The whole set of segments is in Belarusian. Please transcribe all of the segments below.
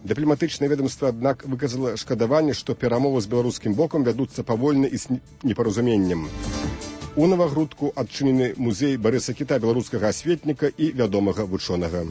Дыпламатычнае ведомства, аднак, выказала шкадаванне, што перамовы з беларускім бокам вядуцца павольна і з непаразуменнем. У Навагрудку адчынены музей Барыса Кіта, беларускага асветніка і вядомага вучонага.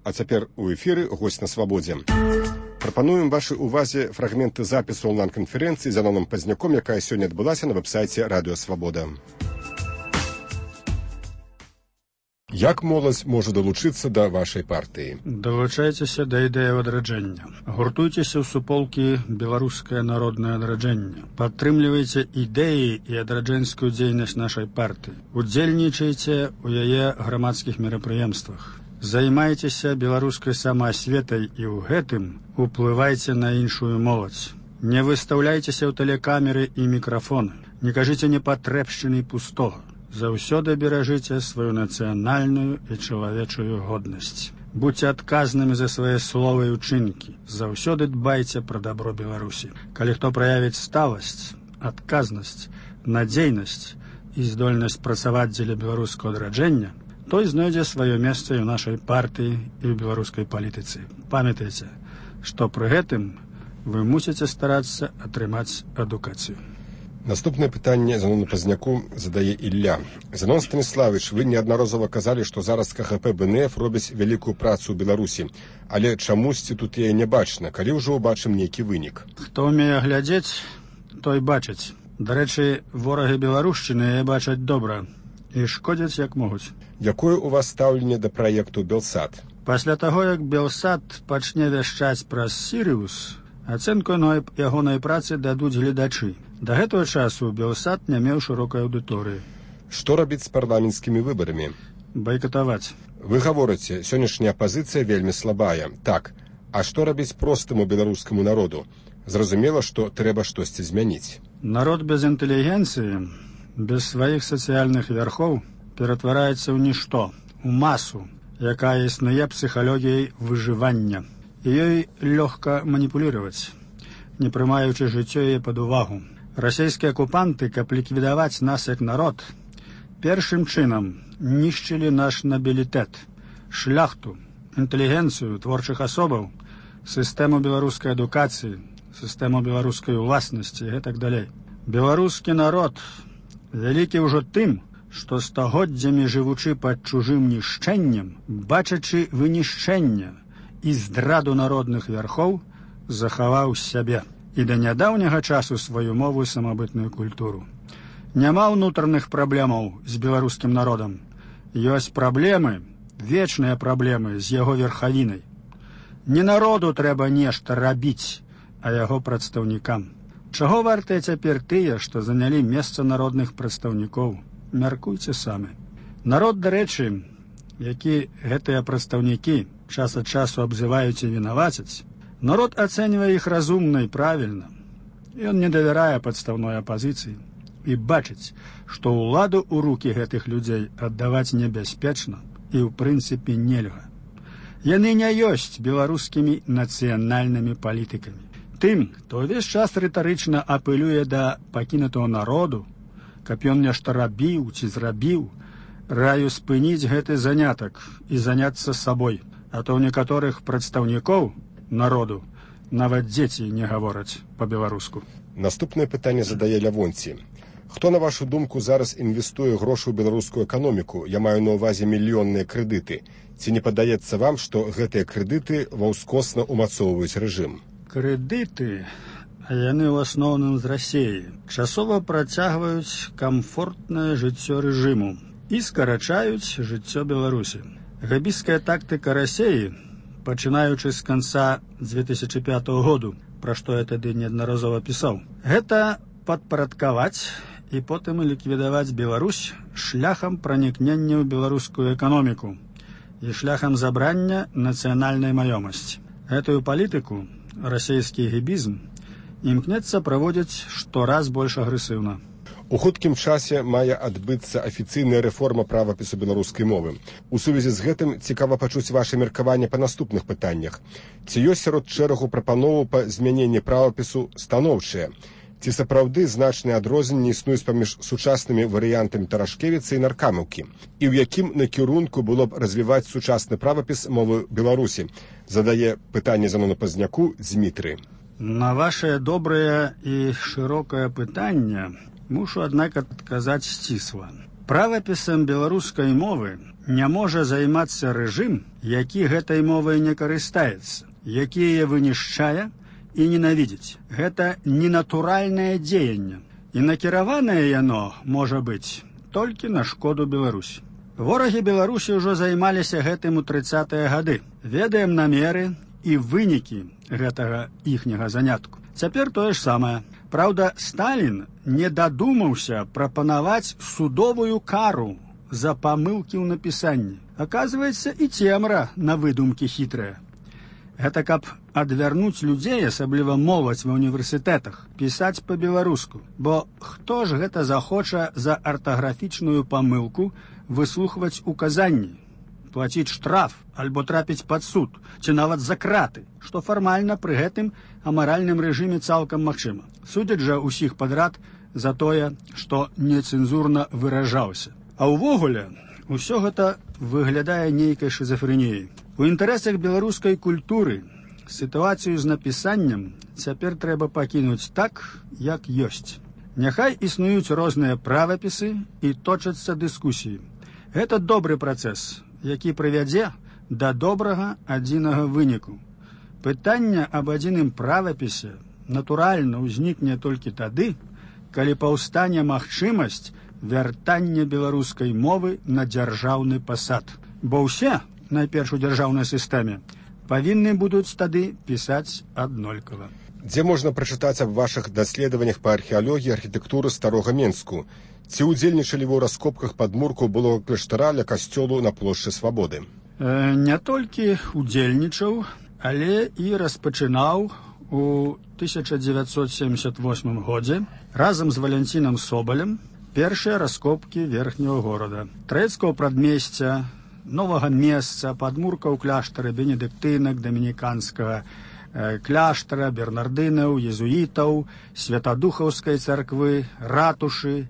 А цяпер у эфіры госць на свабодзе. Прапануем вашай увазе фрагменты запісу онлайн-канферэнцыі з Зяноном Пазняком, якая сёння адбылася на вэб-сайце Радыё Свабода. Як моладзь можа далучыцца да вашай партыі? Далучайцеся да ідэі адраджэння. Гуртуйцеся ў суполкі «Беларускае народнае адраджэнне». Падтрымлівайце ідэі і адраджэнскую дзейнасць нашай партыі. Удзельнічайце ў яе грамадскіх мерапрыемствах. Займайцеся беларускай самаасветай і ў гэтым уплывайце на іншую моладзь. Не выстаўляйцеся ў тэлекамеры і мікрафоны. Не кажыце непатрэбшчыны пустога. Заўсёды беражыце сваю нацыянальную і чалавечую годнасць. Будьце адказнымі за свае словы і ўчынкі. Заўсёды дбайце пра дабро Беларусі. Калі хто праявіць сталасць, адказнасць, надзейнасць і здольнасць працаваць дзеля беларускага адраджэння, той знойдзе сваё месца і ў нашай партыі і ў беларускай палітыцы. Памятайце, што пры гэтым вы мусіце старацца атрымаць адукацыю. Наступнае пытанне Зянону Пазняку задае Ілля. Зянон Станіславович, вы неаднаразова казалі, што зараз КХП БНФ робіць вялікую працу ў Беларусі, але чамусьці тут яе не бачна, калі ўжо ўбачым нейкі вынік. Хто ўмее глядзець, той бачыць. Дарэчы, ворагі беларушчыны яе бачаць добра і шкодзяць як могуць. Якое у вас стаўленне да праекту Белсат? Пасля таго, як Белсат пачне вяшчаць праз Сірыус, ацэнку ягонай працы дадуць гледачы. Да гэтага часу Белсат не меў шырокай аўдыторыі. Што рабіць з парламенцкімі выбарамі? Байкатаваць. Вы гаворыце, сённяшняя апазіцыя вельмі слабая. Так, а што рабіць простаму беларускаму народу? Зразумела, што трэба штосьці змяніць. Народ без інтэлігенцыі, без сваіх сацыяльных вярхоў ператвараецца ў нішто, у масу, якая існуе псіхалогіяй выжывання. І ёй лёгка маніпуліраваць, не прымаючы жыццё яе пад увагу. Расійскія акупанты, каб ліквідаваць нас як народ, першым чынам нішчылі наш набілітэт, шляхту, інтэлігенцыю творчых асобаў, сістэму беларускай адукацыі, сістэму беларускай уласнасці і гэтак далей. Беларускі народ вялікі ўжо тым, што стагоддзямі жывучы пад чужым нішчэннем, бачачы вынішчэнне і здраду народных вярхоў, захаваў сябе і да нядаўняга часу сваю мову і самабытную культуру. Няма ўнутраных праблемаў з беларускім народам. Ёсць праблемы, вечныя праблемы з яго верхавінай. Не народу трэба нешта рабіць, а яго прадстаўнікам. Чаго вартыя цяпер тыя, што занялі месца народных прадстаўнікоў? Мяркуйце самі. Народ, дарэчы, які гэтыя прадстаўнікі час ад часу абзываюць і вінавацяць, народ ацэньвае іх разумна і правільна. Ён не давярае падстаўной апазіцыі і бачыць, што ўладу ў рукі гэтых людзей аддаваць небяспечна і ў прынцыпе нельга. Яны не ёсць беларускімі нацыянальнымі палітыкамі. Тым, хто ўвесь час рытарычна апелюе да пакінутага народу, каб ён нешта рабіў ці зрабіў, раю спыніць гэты занятак і заняцца сабой, а то ў некаторых прадстаўнікоў народу нават дзеці не гавораць па-беларуску. Наступнае пытанне задае Лявонці. Хто, на вашу думку, зараз інвестуе грошы ў беларускую эканоміку? Я маю на ўвазе мільённыя крэдыты. Ці не падаецца вам, што гэтыя крэдыты ваўскосна ўмацоўваюць рэжым? Крэдыты, а яны ў асноўным з Расіі, часова працягваюць камфортнае жыццё рэжыму і скарачаюць жыццё Беларусі. Габійская тактыка Расіі, пачынаючы з канца 2005 году, пра што я тады неаднаразова пісаў, гэта падпарадкаваць і потым ліквідаваць Беларусь шляхам пранікнення ў беларускую эканоміку і шляхам забрання нацыянальнай маёмасці. Гэтую палітыку расійскі гібізм імкнецца праводзіць штораз больш агрэсіўна. У хуткім часе мае адбыцца афіцыйная рэформа правапісу беларускай мовы. У сувязі з гэтым цікава пачуць ваша меркаванне па наступных пытаннях. Ці ёсць сярод шэрагу прапановаў па змяненні правапісу станоўчыя? Ці сапраўды значныя адрозненні існуюць паміж сучаснымі варыянтамі Тарашкевіца і Наркамаўкі? І ў якім накірунку было б развіваць сучасны правапіс мовы Беларусі? Задае пытанне Зенону Пазняку Дзмітрый. На ваше добрае і шырокае пытанне мушу, аднак, адказаць сцісла. Правапісам беларускай мовы не можа займацца рэжым, які гэтай мовай не карыстаецца, які яе вынішчае і ненавідзіць. Гэта ненатуральнае дзеянне. І накіраванае яно можа быць толькі на шкоду Беларусі. Ворагі Беларусі ўжо займаліся гэтым у 30-е гады. Ведаем намеры і вынікі гэтага іхняга занятку. Цяпер тое ж самае. Праўда, Сталін не дадумаўся прапанаваць судовую кару за памылкі ў напісанні. Аказваецца, і цемра на выдумкі хітрая. Гэта каб адвярнуць людзей, асабліва моладзь ва ўніверсітэтах, пісаць па-беларуску. Бо хто ж гэта захоча за артаграфічную памылку выслухваць указанні, плаціць штраф альбо трапіць пад суд, ці нават за краты, што фармальна пры гэтым амаральным рэжыме цалкам магчыма. Судзяць жа ўсіх падрад за тое, што нецэнзурна выражаўся. А ўвогуле, усё гэта выглядае нейкай шызафрэніяй. У інтарэсах беларускай культуры сітуацыю з напісаннем цяпер трэба пакінуць так, як ёсць. Няхай існуюць розныя правапісы і точацца дыскусіі. Гэта добры працэс, які прывядзе да добрага адзінага выніку. Пытанне аб адзіным правапісе натуральна ўзнікне толькі тады, калі паўстане магчымасць вяртання беларускай мовы на дзяржаўны пасад. Бо ўсе, найперш у дзяржаўнай сістэме, павінны будуць тады пісаць аднолькава. Дзе можна прачытаць аб вашых даследаваннях па археалогіі архітэктуры старога Менску? Ці ўдзельнічалі вы ў раскопках падмурку былога кляштара ля касцёлу на плошчы Свабоды? Не толькі ўдзельнічаў, але і распачынаў у 1978 годзе разам з Валянцінам Собалем першыя раскопкі верхняга горада. Трэцкага прадмесця, новага месца, падмурка ў кляштары бенедыктынак, дамініканскага кляштара, бернардынаў, езуітаў, святадухаўскай царквы, ратушы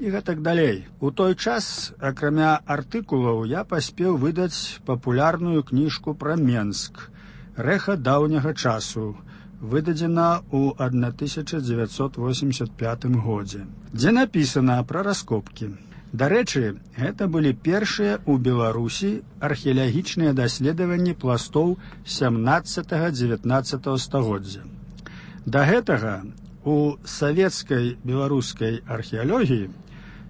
і гэтак далей. У той час, акрамя артыкулаў, я паспеў выдаць папулярную кніжку пра Менск «Рэха даўняга часу», выдадзена ў 1985 годзе, дзе напісана пра раскопкі. Дарэчы, гэта былі першыя ў Беларусі археалагічныя даследаванні пластоў 17-19 стагоддзя. Да гэтага у савецкай беларускай археалогіі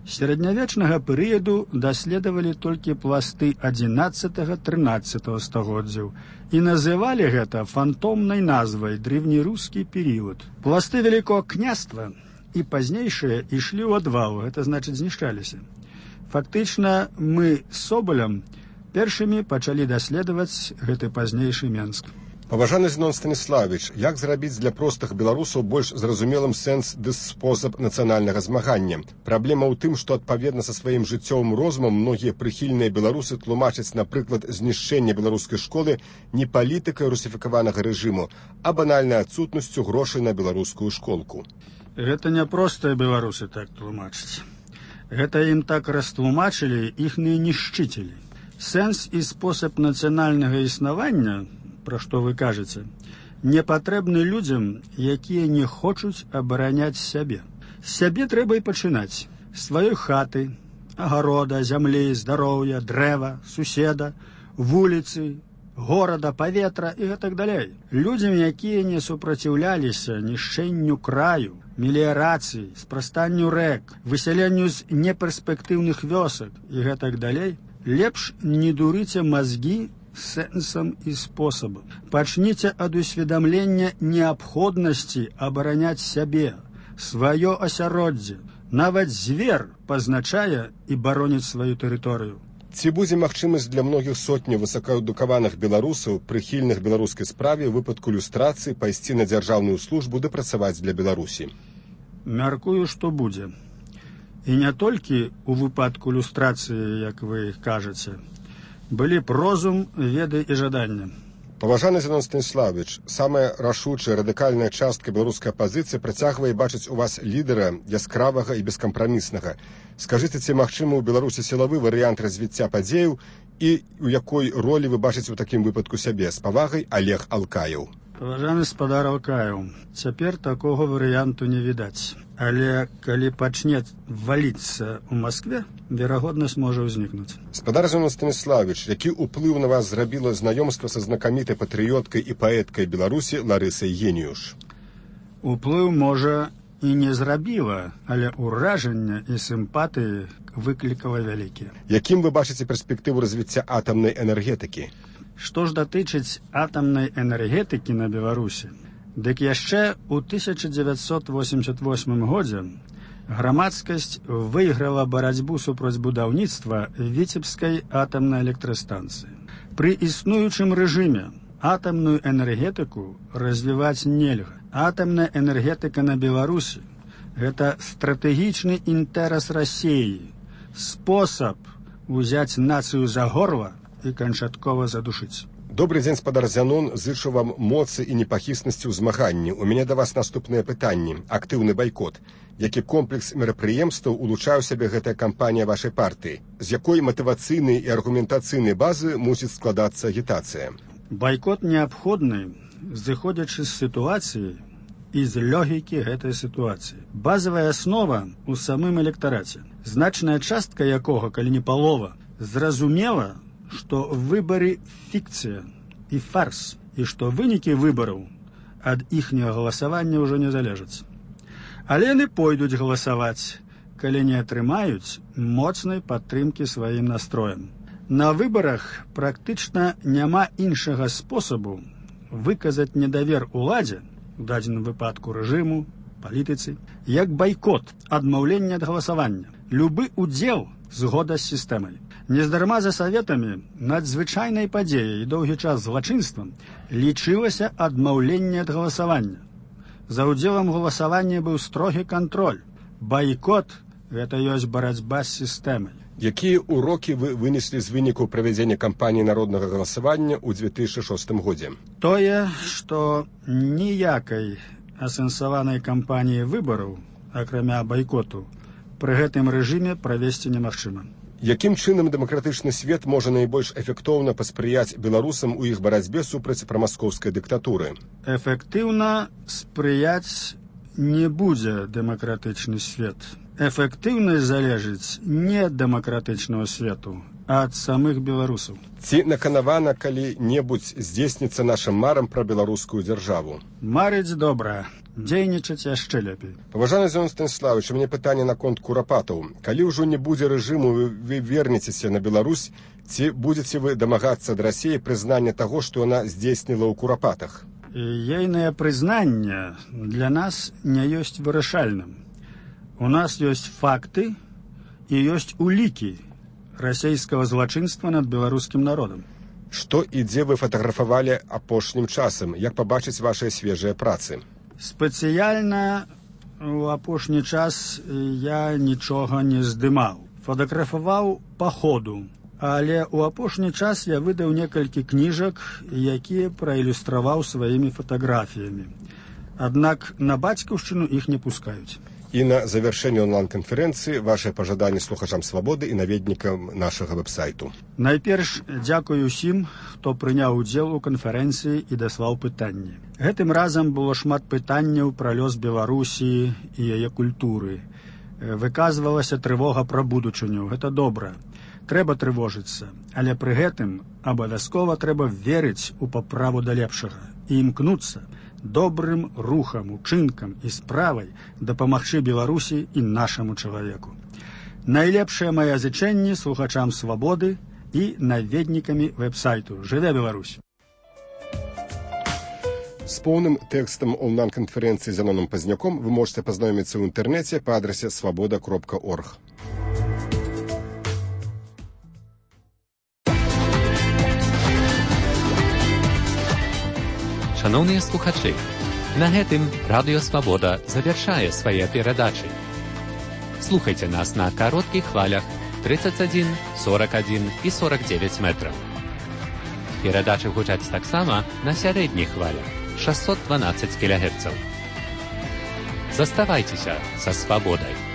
сярэднявечнага перыяду даследавалі толькі пласты 11-13 стагоддзяў і называлі гэта фантомнай назвай древнерускі перыяд. Пласты Вялікога княства і пазнейшыя ішлі ў адвал, гэта значыць знішчаліся. Фактычна мы з Собалем першымі пачалі даследаваць гэты пазнейшы Менск. Паважаны Зенон Станіславович, як зрабіць для простых беларусаў больш зразумелым сэнс ды спосаб нацыянальнага змагання? Праблема ў тым, што адпаведна са сваім жыццёвым розумам многія прыхільныя беларусы тлумачаць, напрыклад, знішчэнне беларускай школы не палітыкай русіфікаванага рэжыму, а банальнай адсутнасцю грошай на беларускую школку. Гэта не простыя беларусы так тлумачаць. Гэта ім так растлумачылі іхныя нішчыцелі. Сэнс і спосаб нацыянальнага існавання, пра што вы кажаце, не патрэбны людзям, якія не хочуць абараняць сябе. З сябе трэба і пачынаць. Сваёй хаты, агарода, зямлі, здароўя, дрэва, суседа, вуліцы, горада, паветра і гэтак далей. Людзям, якія не супраціўляліся нішчэнню краю, меліярацыі, спрастанню рэк, высяленню з неперспектыўных вёсак і гэтак далей, лепш не дурыце мазгі сэнсам і спосабам. Пачніце ад усведамлення неабходнасці абараняць сябе, сваё асяроддзе. Нават звер пазначае і бароніць сваю тэрыторыю. Ці будзе магчымасць для многіх сотняў высокаадукаваных беларусаў, прыхільных беларускай справе, у выпадку люстрацыі пайсці на дзяржаўную службу ды працаваць для Беларусі? Мяркую, што будзе. І не толькі ў выпадку люстрацыі, як вы кажаце. Былі б розум, веды і жаданне. Паважаны Зенон Станіславович, самая рашучая радыкальная частка беларускай апазіцыі працягвае бачыць у вас лідара яскравага і бескампраміснага. Скажыце, ці магчымы ў Беларусі сілавы варыянт развіцця падзеяў і у якой ролі вы бачыце ў такім выпадку сябе? З павагай, Олег Алкаеў. Паважаны спадар Алкаеў, цяпер такога варыянту не відаць. Але калі пачне валіцца ў Маскве, верагоднасць можа ўзнікнуць. Спадар Зенон Станіславович, які ўплыў на вас зрабіла знаёмства са знакамітай патрыёткай і паэткай Беларусі Ларысай Геніюш? Уплыў, можа, і не зрабіла, але ўражання і сімпатыі выклікала вялікія. Якім вы бачыце перспектыву развіцця атамнай энергетыкі? Што ж датычыць атамнай энергетыкі на Беларусі, дык яшчэ ў 1988 годзе грамадскасць выйграла барацьбу супраць будаўніцтва Віцебскай атамнай электрастанцыі. Пры існуючым рэжыме атамную энергетыку развіваць нельга. Атамная энергетыка на Беларусі – гэта стратэгічны інтэрас Расіі, спосаб узяць нацыю за горла і канчаткова задушыць. Добрый дзень, спадар Зянон, зычу вам моцы і непахіснасці ў змаганні. У мяне да вас наступныя пытанні. Актыўны байкот. Які комплекс мерапрыемстваў улучшае ў сябе гэтая кампанія вашай партыі? З якой матывацыйнай і аргументацыйнай базы мусіць складацца агітацыя? Байкот неабходны, зыходзячы з сітуацыі і з логікі гэтай сітуацыі. Базавая аснова ў самым электараце, значная частка якога, калі не палова, зразумела, што выбары фікцыя і фарс, і што вынікі выбараў ад іхняга галасавання ўжо не залежаць. Але яны пойдуць галасаваць, калі не атрымаюць моцнай падтрымкі сваім настроем. На выбарах практычна няма іншага спосабу выказаць недавер уладзе, у дадзеным выпадку рэжыму, палітыцы, як байкот, адмаўленне ад галасавання. Любы удзел згода з сістэмай. Нездарма за саветамі надзвычайнай падзеяй і доўгі час злачынствам лічылася адмаўленне ад галасавання. За ўдзелам галасавання быў строгі кантроль. Байкот – гэта ёсць барацьба з сістэмай. Якія ўрокі вы вынеслі з вынікаў правядзення кампаніі народнага галасавання ў 2006 годзе? Тое, што ніякай асэнсаванай кампаніі выбараў, акрамя байкоту, пры гэтым рэжыме правесці немагчыма. Якім чынам дэмакратычны свет можа найбольш эфектыўна паспрыяць беларусам у іх барацьбе супраць прамаскоўскай дыктатуры? Эфектыўна спрыяць не будзе дэмакратычны свет. Эфектыўнасць залежыць не ад дэмакратычнага свету, а ад самых беларусаў. Ці наканавана калі-небудзь здзейсніцца нашым марам пра беларускую дзяржаву? Марыць добра, дзейнічаць яшчэ лепей. Паважаны Зенон Станіславович, у мяне пытанне наконт курапатаў. Калі ўжо не будзе рэжыму, вы вернецеся на Беларусь, ці будзеце вы дамагацца ад Расіі прызнання таго, што яна здзейсніла ў курапатах? Ейнае прызнанне для нас не ёсць вырашальным. У нас ёсць факты і ёсць улікі расійскага злачынства над беларускім народам. Што і дзе вы фатаграфавалі апошнім часам? Як пабачыць вашыя свежыя працы? Спецыяльна ў апошні час я нічога не здымаў. Фатаграфаваў па ходу. Але ў апошні час я выдаў некалькі кніжак, якія праілюстраваў сваімі фатаграфіямі. Аднак на бацькаўшчыну іх не пускаюць. І на завяршэнне онлайн-канферэнцыі вашыя пажаданні слухачам свабоды і наведнікам нашага вэб-сайту. Найперш дзякую ўсім, хто прыняў удзел у канферэнцыі і даслаў пытанні. Гэтым разам было шмат пытанняў пра лёс Беларусі і яе культуры. Выказвалася трывога пра будучыню. Гэта добра. Трэба трывожыцца, але пры гэтым абавязкова трэба верыць у паправу да лепшага і імкнуцца добрым рухам, учынкам і справай дапамагчы Беларусі і нашаму чалавеку. Найлепшае мае зычэнні слухачам свабоды і наведнікамі вэб-сайту. Жыве Беларусь! З поўным тэкстам онлайн-канферэнцыі з Зяноном Пазняком вы можете пазнаёміцца ў інтэрнэце па адрасе свабода.орг. Шановныя слухачы, на гэтым Радыё Свабода завяршае свае перадачы. Слухайце нас на кароткіх хвалях 31, 41 і 49 метраў. Перадачы гучаць таксама на сярэдніх хвалях 612 кГц. Заставайцеся са свабодай.